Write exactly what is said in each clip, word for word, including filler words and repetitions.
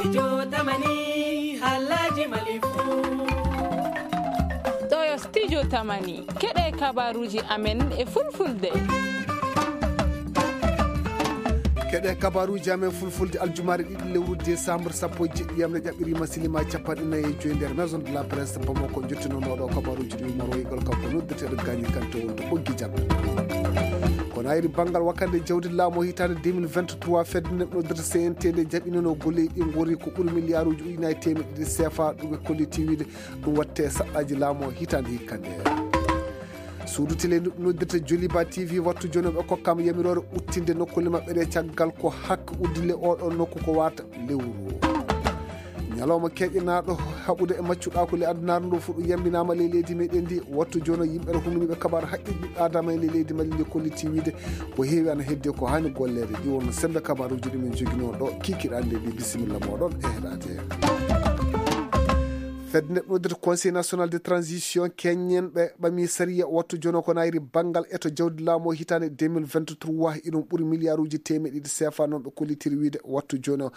Studio Tamani, halaji Mali fu. Ɗo yo Studio Tamani, keɗe kabaruji amen e fulfulde. Keɗe kabaruji amen fulfulde aljumaare ɗiɗi lewru décembre sappo e jeɗɗi yamre ƴaɓɓirima silima capanɗe nayi e joyi nder Maison de la Presse Bamako. Jottinonoɗo kabaruji ɗi Umar Woygol kanko noddeteɗo Gagny Kanté wonto ɓoggi jaɓɓe. Kono ayri banngal wakkande jawdi laamu hitaande deux mille vingt-trois, fedde nde noddirta C N T D jaɓinino golleji ɗi ngori ko ɓuri miliyaaruji ujunaaji teemeɗe ɗiɗi C F A, ɗum ɓe kolliti wiide ɗum watte saɗɗaji laamu hitaande hikka nde. Suudu tele ndu noddirta Joliba T V wattu jooni ɓe kokkama yamiroore uttinde nokkulle maɓɓe ɗe caggal ko hakke uddile oɗo nokku ko wata lewru. Ñalawma keƴenaaɗo haɓude e maccuɗaaku le addunaare ndu fuɗu yambinaama ley leydi meɗen ndi. Wattu jooni yimɓe ɗo humini ɓe kabaru haqqe ɓiɓɓe adama e ley leydi Mali ndi kolliti wiide ko heewi ana heddi ko hani golleede. Ɗi wonno sembe kabaruji ɗi min joginoo ɗo kikiɗande ɗi. Bisimilla moɗon e heɗade. Fedde nde noddirta Conseil National de Transition keñen ɓe ɓami sariya wattu jono ko nayri banngal eto jawdi laamu o hitaande deux mille vingt-trois, iɗum ɓuri miliyaaruji teemeɗe ɗiɗi C F A, noon ɓe kollitiri wiide. Wattu jono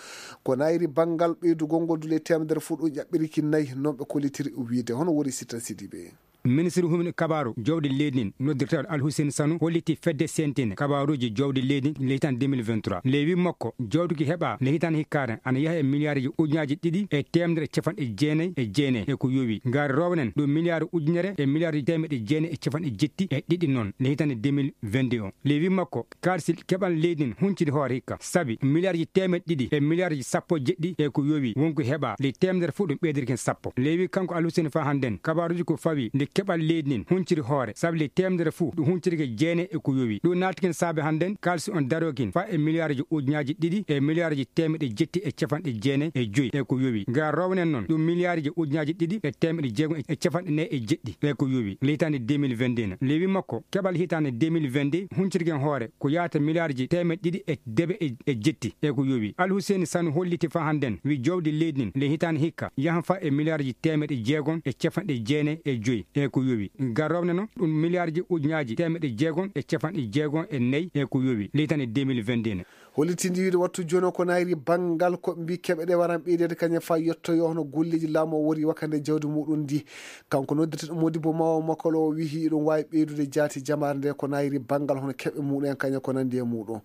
ko nayri banngal ɓeydugol ngol dule temedere fuɗu ƴaɓɓiriki nayi, noon ɓe kollitiri wiide. Hono woni Sitan Sidibe? Ministre humini kabaru jawdi leydi ndin noddirteeɗo Alhusen Sanu holliti fedde sentine kabaruji jawdi leydi ndin le hitande deux mille vingt-trois. Le wi makko, jawdi ki heɓa le hitande hikkaare ana yaha e miliyaaruji ujunaji ɗiɗi e temedere e capanɗe jeenayi e jeenayi e ko yowi. Ngari rownen ɗum miliyaaru ujunere e miliyaaru temeɗe jeenayi e capanɗe jetti e ɗiɗi noon le hitande deux mille vingt-deux. Le wi makko, kaalisi keɓal leydi ndin hunciri hoore hikka, sabi miliyarji teemeɗɗe ɗiɗi e miliyarji sappo e jeɗɗi e ko yowi wonko heɓa, ley teemedere fof ɗum ɓeydirki hen sappo. Le wi kanko Alhuseni fa hannden, kabaruji ko fawi nde keɓal leydi ndin hunciri hoore, sabi ley teemedere fof ɗum huncirki jeenayi e ko yowi. Ɗum naatki hen saabe hannden kaalisi on darooki fa e miliyarji ujunaji ɗiɗi e miliyarji teemeɗe jetti e capanɗe jeenayi e joyi e ko yowi. Ngal rownen noon ɗum miliyarji ujunaji ɗiɗi e teemeɗe jeegom e capanɗe nayi e jeɗɗi e ko yowi ley hitaande deux mille vingt-deux. Le wi makko, keɓal hitaande deux mille vingt-deux huncirki hen hoore ko yahata miliyarji teemeɗe ɗiɗi e debe e, e jetti e ko yowi. Alhuseni Sanu holliti fa hannden wi jawdi leydi ndin le hitaande hikka yahan fa e miliyarji teemeɗe jeegom e capanɗe jeenayi e joyi e ko yowi. Ngal rownen noon ɗum miliyarji ujunaji teemeɗe jeegom e capanɗe jeegom e nayi e ko yowi ley hitaande deux mille vingt-deux. Hollitinde wiide wattu jooni o ko nayri banngal ko mbi keɓe ɗe waran ɓeydeede kañum fa yettoyo hono golleji laamu o wori wakkande jawdi muɗum ndi. Kanko noddirteɗo Modibo Mawo Makolo o wihi ɗum wawi ɓeydude jaati jamaare nde ko nayri banngal hono keɓe muɗum kañum ko nandi e muɗum.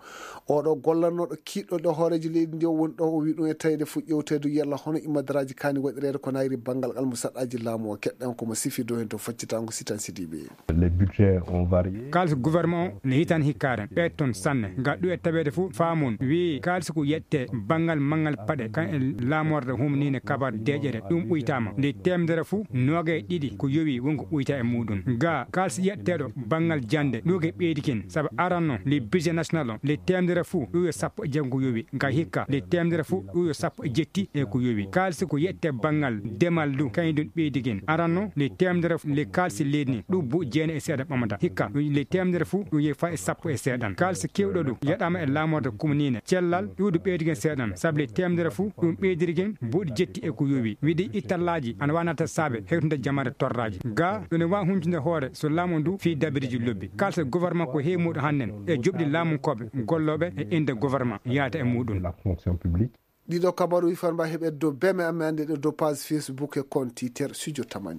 Oɗo gollannoɗo kiɗɗo ɗo hoorejo leydi ndi o woni ɗo o wi ɗum e tawede fu ƴewteede yalla hono immadaraji kani waɗireede ko nayri banngal almusaɗɗaji laamu o. Keɗɗen ko mo sifi dow hen to faccitango Sitan Sidibe. Les budgets ont varié. Kaalisi gouvernement o le hitande hikkaare ɓe toon sanne. Ngal ɗum e taweede fof faamun wi kaalisi ko yette banngal manngal paɗe kan e laamorde humninde kabar deeƴere ɗum ɓuytaama. Nde teemedere fof noogay ɗiɗi ko yowi wonko ɓuyta e muɗum. Ga kaalisi yetteeɗo banngal jannde ɗum ko ɓeydi ken sabu aranno le budget national o le teemedere fof ɗum yo sappo e jeegom ko yowi. Ga hikka le teemedere fof ɗum yo sappo e jetti e ko yowi. Kaalisi ko yette banngal demal du kañum ɗum ɓeydi ken aranno le teemedere fof le kaalisi leydi ni ɗum buuɗi jeenayi e seeɗa ɓamata. Hikka ɗum le teemedere fof ɗum yehi fa e sappo e seeɗan. Kaalisi kewɗo ɗum yaɗama e laamorde kumniine cellal iwdu ɓeydigen seeɗan sabu le teemedere fof ɗum ɓeydirgen buuɗi jetti e ko yowi wiɗi ittallaaji ana wanata saabe hewtude jamaare torraaji. Ga ɗum e wawi huncude hoore so laamu ndu fii dabiriji lobbi. Kaalisi gouvernement ko heewi muɗum hannden e joɓɗi laamunkooɓe gollooɓe e innde gouvernement yaata e muɗum. La fonction publique. Ɗiɗo kabaruji farba heɓe dow beme amen ande ɗo dow page Facebook e compte Twitter Studio Tamani.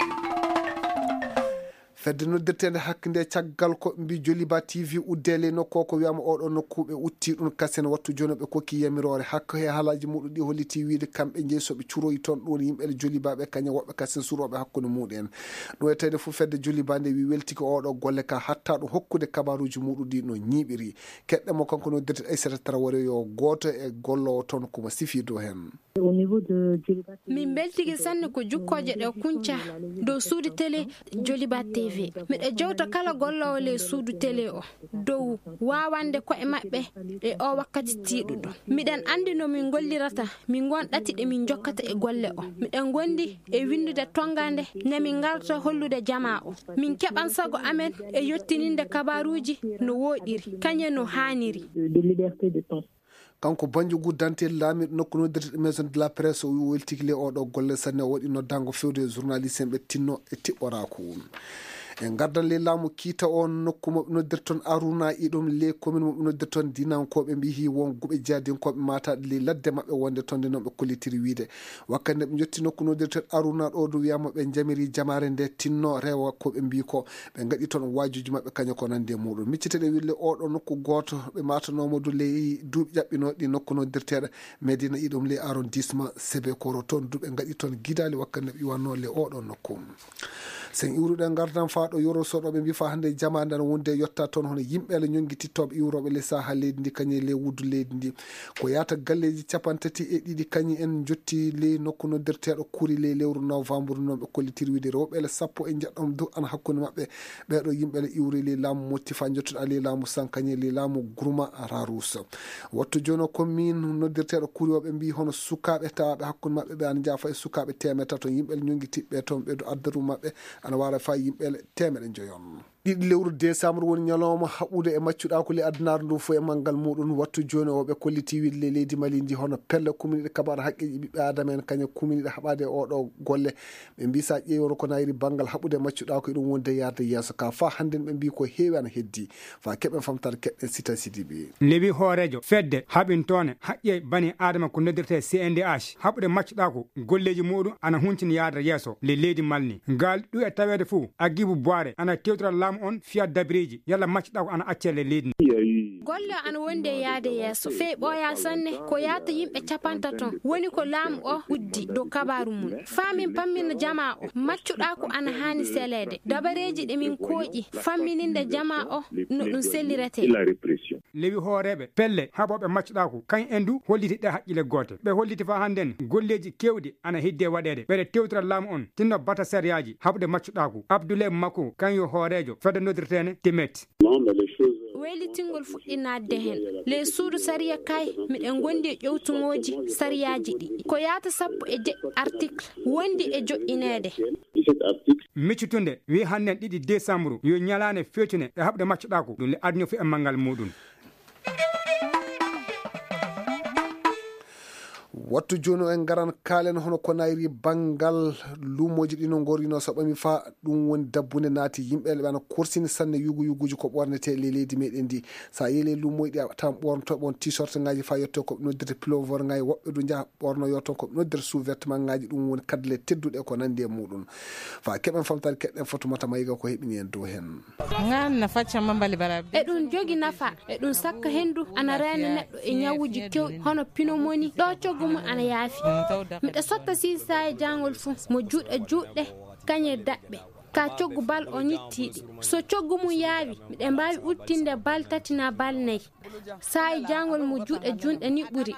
Fedde noddirtende hakkinde caggal ko mbi Joliba T V udde ley nokku o ko wiyama oɗo nokku ɓe utti ɗum kasen wattu jooni ɓe kokki yamiroore hakko he halaji muɗum ɗi holliti wiide kamɓe jeyi soɓe curoyi toon ɗum woni yimɓe Joliba ɓe kañum woɓɓe kasen suroɓe hakkunde muɗum en. Ɗum e tawde fof fedde Joliba nde wi weltiki oɗo golle ka hatta ɗum hokkude kabaruji muɗum ɗi no ñiiɓiri. Keɗɗe mo kanko noddirte Aissata Traoré yo gooto e gollowo toon ko mo sifi dow heen. Au niveau de Djoliba T V, min mbeltike sanne ko jukkooje ɗe kunca dow suudu télé Djoliba T V. Miɗo jewta kala golloowo ley suudu télé o dow waawande ko'e maɓɓe e o wakkati tiiɗuɗo. Miɗen anndi no min ngollirata, min ngon ɗati ɗe min jokkata e golle o. Miɗen ngondi e winndude tonngaande nde min ngarta hollude jamaa o. Min keɓan sago amen e yottininde kabaaruuji no wooɗiri, kañe no haaniri. De, de liberté de ton. Kanko Banjogu Dante laamiiɗo nokku noddirteɗo Maison de la Presse o wi o weltiki le oɗo golle sanne o waɗi noddango fewde e journaliste en ɓe tinno e tiɓɓoraaku. Ɓe ngardan ley laamu kiita o nokku mo ɓe noddirton Aruna, iɗum ley komin mo ɓe noddirton Dinankooɓe mbiyi won guɓe jahdinkooɓe maataaɗe ley ladde maɓɓe wonde toon nde noon ɓe kollitiri wiyde. Wakkati nde ɓe njotti nokku noddirten Aruna ɗo du wiyama ɓe njamiri jamaare nde tinno rewa ko ɓe mbiyi ko ɓe ngaɗi toon waajuuji maɓɓe kañum ko nandi e muɗum. Miccite ɗe wille oɗo nokku gooto ɓe maatanomo du ley duuɓi ƴaɓɓinooɗi nokku noddirteeɗo Medina iɗum ley arrondissement Sebe Koro toon du ɓe ngaɗi toon gidaali wakkati nde ɓe iwanno ley oɗo nokku. Sen iwruɗen ngartan faa ɗo Yoro Soɗo ɓe mbi faa hannde jamaande ana wonde yotta toon hono yimɓe ala ñonngitittooɓe iwrooɓe ley saha leydi ndi kañum e ley wuddu leydi ndi. Ko yaata galleeji capanɗe tati e ɗiɗi kañum en njotti ley nokku noddirteeɗo Kuri ley lewru novembre noon ɓe kollitiri wiyde rewɓe ele sappo e njeɗɗo du ana hakkunde maɓɓe. Ɓeeɗo yimɓe ele iwri ley laamu Motti faa njottude ley laamu Sankañe ley laamu Gurma Rarus. Wattu jooni o commune noddirteeɗo Kuri o ɓe mbi hono sukaaɓe tawaaɓe hakkunde maɓɓe ɓe ana njaafa e sukaaɓe teemedde tato yimɓe ele ñonngitiɓɓe toon ɓe du addaru maɓɓe ana waara faa yimɓe ele teemedde njoyon. Ɗiɗi lewru décembre woni ñalawma haɓude e maccuɗaaku ley adunaaru ndu fof e manngal muɗum. Wattu jooni o ɓe kolliti wiyde ley leydi Mali ndi hono pelle kumniɗe kabaar haqqeeji ɓiɓɓe aadama en kañum kumniɗe haɓaade e oɗo golle. Ɓe mbi sa ƴeewi woro ko nayri banngal haɓude maccuɗaaku e ɗum wonde yaade yeeso ka faa hannden ɓe mbi ko heewi ana heddi. Faa keɓen famtaade keɗɗen Sita Sidibi. Lewi hooreejo fedde haɓintoone haqqe bani aadama ko noddirtee C N D H haɓude maccuɗaaku golleeji muɗum ana huncini yaade yeeso ley leydi Mali ndi. Ngal ɗu e taweede fof Agibu Buwaare ana tewtira laamu on fiya dabireeji yalla maccuɗaaku ana accee ley leydi ndi. Golle o ana wondi e yaade yeeso fey ɓooya sanne ko yaata yimɓe capanɗe tati woni ko laamu o uddi dow kabaaru mum. Faa min pammina jamaa o maccuɗaaku ana haani seleede dabareeji ɗi min kooƴi fammininde jamaa o no ɗum selliretee. Lewi hooreeɓe pelle haɓooɓe maccuɗaaku kañ en du holliti ɗe haqqille goote ɓe holliti faa hannden golleeji keewɗi ana heddi e waɗeede ɓeɗe tewtira laamu on tinno bata sariyaaji haɓude maccuɗaaku. Abdoulaye Mako kañ yo hooreejo fedde noddirteene Timet. Weylitingol fuɗɗi naatde heen ley suudu sariya kay miɗen ngondi e ƴowtugooji sariyaaji ɗi ko yaata sappo e jeɗɗi article wondi e joɗɗineede. Miccutunde wi hannden ɗiɗi décembre yo ñalaande feccune e haɓude maccuɗaaku ɗum le aduna fof e manngal muɗum. Wattu jooni o en ngaran kaalen hono ko nayri banngal luumooji ɗi no ngorino so ɓami faa ɗum woni dabbunde naati yimɓe ɓe ana korsini sanne yugu yuguji ko ɓornetee ley leydi meɗen ndi. Sa yeele luumooji ɗi a tawan ɓornoto ɓon t-shirt ngaji faa yetto ko ɓe noddirta pulover ngaji woɓɓe du njaha ɓorno yo toon ko ɓe noddirta sous-vêtement ngaji ɗum woni kadle tedduɗe ko nandi e muɗum. Faa keɓen famtare keɗɗen Fatumata Mayiga ko heɓini en dow heen. Ngan na facca mambali bara. Eɗum jogi nafa eɗum sakka henndu ana reena neɗɗo e ñawuji kewɗi hono pneumonie ɗo coggu mum ana yaafi. Miɗa sotta siisaa e jaangol fuu mo juuɗe juutɗe kañe daɓɓe ka coggu bal o ñittiiɗi so coggu mum yaawi miɗe mbaawi uttinde bal tati na bal nayi. Saa'i jaangol mo juuɗe junɗe ni ɓuri.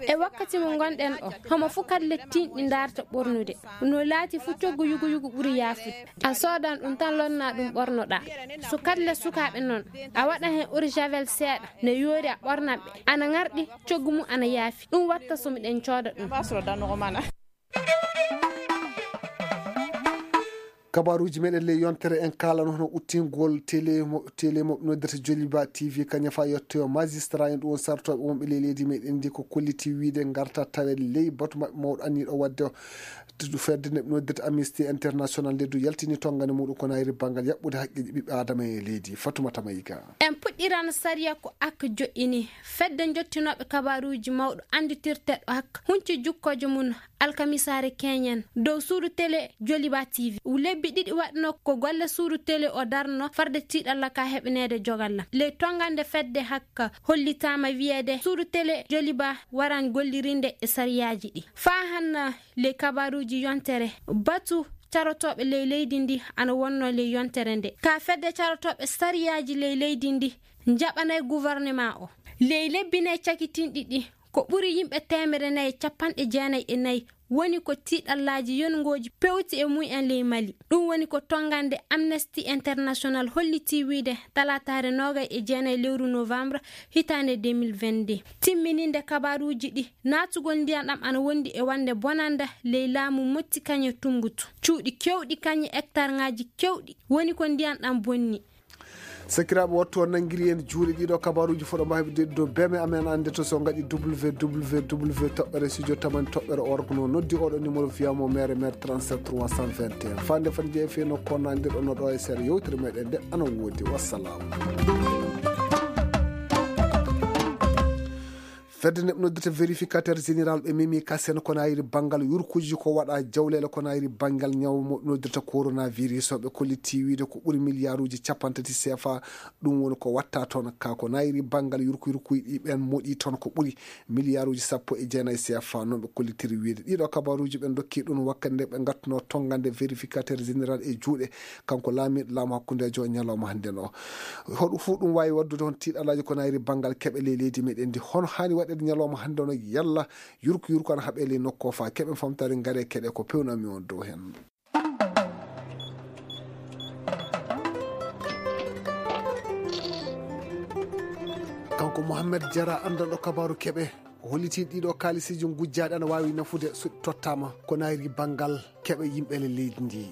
E wakkati mo ngonɗen o homo fuu kadle tinɗi ndaarta ɓornude. No laati fuu coggu yugu yugu ɓuri yaafude. A soodan ɗum tan lonna ɗum ɓornoɗaa. So kadle sukaaɓe noon a waɗa heen uri javel seeɗa ne yoori a ɓornan ɓe ana ŋarɗi. Coggu mum ana yaafi ɗum watta so miɗen cooda ɗum. Kabaruuji meɗen ley yontere en kaalano hono uttingol télé mo télé mo noddata Joliba T V kañum fa yettoyo magistrat en ɗum won sartoɓe wonɓe ley leydi meɗen ndi ko kolliti wiide garta tawe ley batu maɓɓe mawɗo anniɗo wadde o. Fedde nde ɓe noddirta Amnesty International nde du yaltini tonngane muɗum ko nayri banngal yaɓɓude haqqeeji ɓiɓɓe Adama e leydi. Fatumata Mayiga. En puɗɗiran sariya ko ak joƴƴini fedde jottinooɓe kabaruuji mawɗo annditirteeɗo ak hunci jukkooje mum alkamisaare keñen dow suudu télé Joliba T V. Lebbi ɗiɗi waɗno ko golle suudu télé o darno farde tiiɗalla ka heɓaneede jogalla ley tonngande fedde hakka hollitaama wiyeede suudu télé Joliba waran gollirinde e sariyaaji ɗi faa hanna ley kabaruuji yontere batu carotooɓe ley leydi ndi ana wonno ley yontere nde ka fedde carotooɓe sariyaaji ley leydi ndi njaɓanay gouvernement o ley lebbi nay cakitinɗi ɗi ko ɓuri yimɓe teemere nayi e capanɗe jeenayi e nayi woni ko tiiɗallaaji yonngooji pewti e mum en ley Mali. Ɗum woni ko tonngande Amnesty International hollitii wiyde talaataare noogay e jeenayi lewru novembre hitaande deux mille vingt-deux. Timmininde kabaruuji ɗi naatugol ndiyan ɗam ana wondi e wonde bonannda ley laamu motti kañe tummbutu cuuɗi keewɗi kañe hectare ŋaaji keewɗi woni ko ndiyan ɗam bonni. Sakiraaɓe, wattu on nanngiri en juuɗe ɗiɗo kabaruuji foɗo mbaawi de dow beme amen annde to so ngaɗi www toɓɓere studio tamani toɓɓere org no noddi oɗo numéro viyamo mere mere trente-sept trois cent vingt et un. Fande fande jeefe no konnandir ono ɗo e seeɗa yewtere meɗen nde ana woodi. Wassalam. Fedde neɓ noddirta vérificateur général ɓe memi kasen ko nayiri banngal yurkuji ko waɗa jawlele ko nayiri banngal ñaw mo noddirta coronavirus o ɓe kolliti wiide ko ɓuri milliarduji capantati sefa. Ɗum woni ko watta toon ka ko nayiri banngal yurku yurkuy ɗi ɓen moɗi toon ko ɓuri milliarduji sappo e jeenayi sefa noon ɓe kollitiri wiide. Ɗiɗo kabaruji ɓe dokki ɗum wakkati nde ɓe ngattuno tongande vérificateur général e juuɗe kanko laamiiɗo laamu hakkundeejo ñalawma hannde no. Hoɗo fuu ɗum waawi waɗdude hon tiiɗalaaji ko nayri banngal keɓe ley leydi meɗen ndi? Hono haani waɗeede ñalawma hannde no? Yalla yurku yurku ana haɓe ley nokku o faa keɓen famtaade? Ngare keɗe ko pewnami on dow heen. Kanko Mohamed Jara, anndanɗo kabaaru keɓe, o holliti ɗiɗo kaalisiji ngujjaaɗi ana waawi nafude so ɗi tottaama ko nayri banngal keɓe yimɓe le leydi ndi.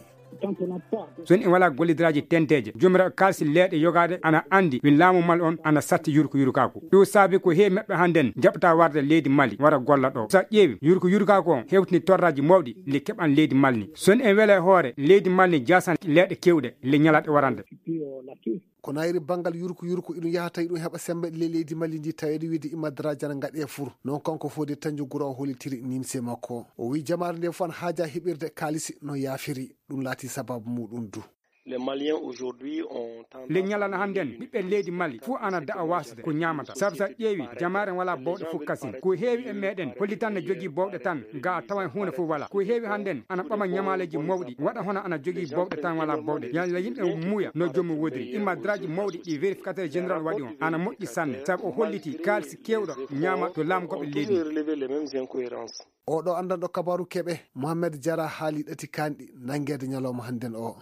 So en wala gollidiraaji tenteeje, joomiraaɗo kaalisi leeɗe yogaade ana anndi wi laamu mal on ana satti yurku yurkaaku. Ɗum saabi ko heewi maɓɓe hannden jaɓata warde leydi Mali wara golla ɗo. So a ƴeewi yurku yurkaaku on hewtini torraaji mawɗi le keɓan leydi Mali ni. So en wele hoore leydi Mali ni jaasan leeɗe kewɗe le ñalaɗe warande. Ko nayri banngal yurku yurku iɗum yaha tawi ɗum heɓa sembe le leydi Mali ndi taweede wiide imma daraaji ana ngaɗe fur. Non kanko fof de tanju gura o hollitiri nimse makko. O wi jamaare nde fof ana haaja heɓirde kaalisi no yaafiri. Ɗum laati sababu muɗum du. Le ñalana hannden ɓiɓɓe leydi Mali fof ana da'a wasde ko ñaamata. Sabu so a ƴeewi jamaare wala bawɗe fof kasin. Ko heewi e meɗen hollitan ne jogii bawɗe tan ga a tawan huunde fof wala. Ko heewi hannden ana ɓama ñamaaleeji mawɗi waɗa hono ana jogii bawɗe tan wala bawɗe. Yalla yimɓe muuya no joomum wodiri. Imma daraaji mawɗi ɗi vérificateur général waɗi on ana moƴƴi sanne. Sabu o holliti kaalisi kewɗo ñaama to laamu goɓe leydi. Oɗo anndanɗo kabaaru keɓe Mohamed Jara haali ɗati kanɗi nanngeede ñalawma hannden o.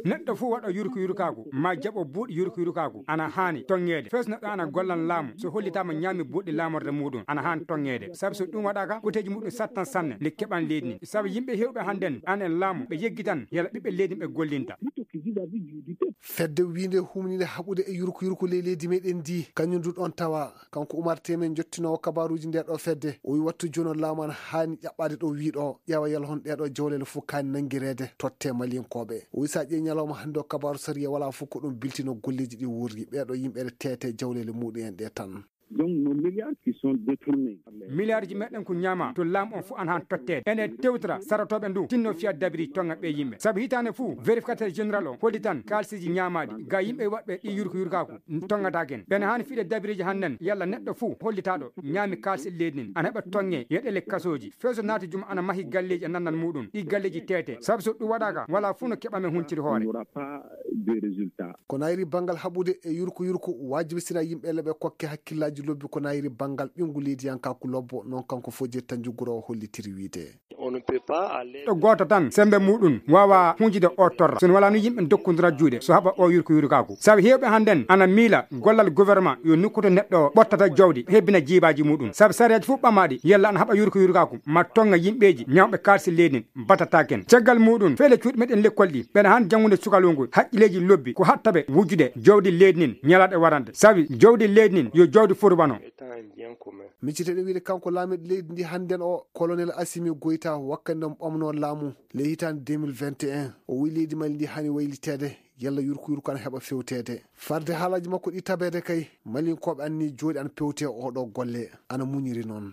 Neɗɗo fof waɗo yurku yurkaaku ma jaɓo buuɗi yurku yurkaaku ana haani tonŋeede. Fes neɗɗo ana gollan laamu so hollitaama ñaami buuɗi laamorde muɗum ana haani tonŋeede. Sabu so ɗum waɗaaka koteeji muɗum sattan sanne nde keɓan leydi ndi. Sabu yimɓe hewɓe hannden an en laamu ɓe yeggitan yala ɓiɓɓe leydi ɓe gollinta. Fedde wiinde humninde haɓude e yurku yurku ley leydi meɗen ndi kañum du ɗon tawa. Kanko Umar Temen jottinoowo kabaaruuji nde ɗo fedde o wi wattu jono laamu ana haani ƴaɓɓaade ɗo wiiɗo ƴeewa yala hon ɗeɗo jawlele fof kaani nanngireede totte malinkooɓe. O wi so a ƴeewi ñalawma hannde o kabaaru sariya wala fof ko ɗum biltino golleeji ɗi wuurri ɓeɗo yimɓe ɗe teete jawlele muɗum en ɗe tan. Milliardji meɗen ko ñaama to laamu on fof ana han totteede ene tewtora sarotooɓe ndu tinno fiya dabiri tonga ɓe yimɓe. Sabu hitaande fof vérificateur général o hollitan kaalsiji ñaamaaɗi ga yimɓe waɗɓe ɗi yurko yurkaku tongataken ɓene haani fiɗe dabiriji hannden yalla neɗɗo fof hollitaaɗo ñaami kaalsi leydi nin ana heɓa tonge yeɗele kasooji. Feso naati juma ana mahi galleeji e nannal muɗum ɗi galleeji teete. Sabu so ɗum waɗaaka wala fof no keɓamen hunciri hoore. Ko nayri banngal haɓude e yurko yurko wajibi sina yimɓe leɓe kokke hakkillaaji lobbi ko nayri banngal ɓinngu leydiyankaaku lobbo noon kanko fof je tanjuguro o hollitiri wiide. Ɗo gooto tan sembe muɗum waawa hunjude o torra so wala no yimɓe dokkondira juuɗe so haɓa o yurko yurkaku. Sabu heewɓe hannden ana miila gollal gouvernement yo nokkuto neɗɗo o ɓottata jawdi hebbina jiibaaji muɗum. Sabu sariyaji fof ɓamaɗi yalla ana haɓa yurko yurkaku ma tonga yimɓeeji ñawɓe kaalsi leydi batataken caggal muɗum feele cuuɗi meɗen lekkol ɗi ɓeɗa han janngude sukalungu haqqileeji lobbi ko hatta ɓe wujjude jawdi leydi nin ñalaɗe warande. Sabi jawdi leydi nin yo jawdi foti wano. Micciteɗen wiide kanko laamiɗo leydi ndi hannden o colonel Assimi Goïta wakkati nde mo ɓamno laamu ley hitaande deux mille vingt et un o wi leydi Mali ndi hani wayliteede yalla yurko yurko ana heɓa fewteede. Farde haalaji makko ɗi tabeede kay malinkooɓe anni jooɗi ana pewte oɗo golle ana muñiri noon.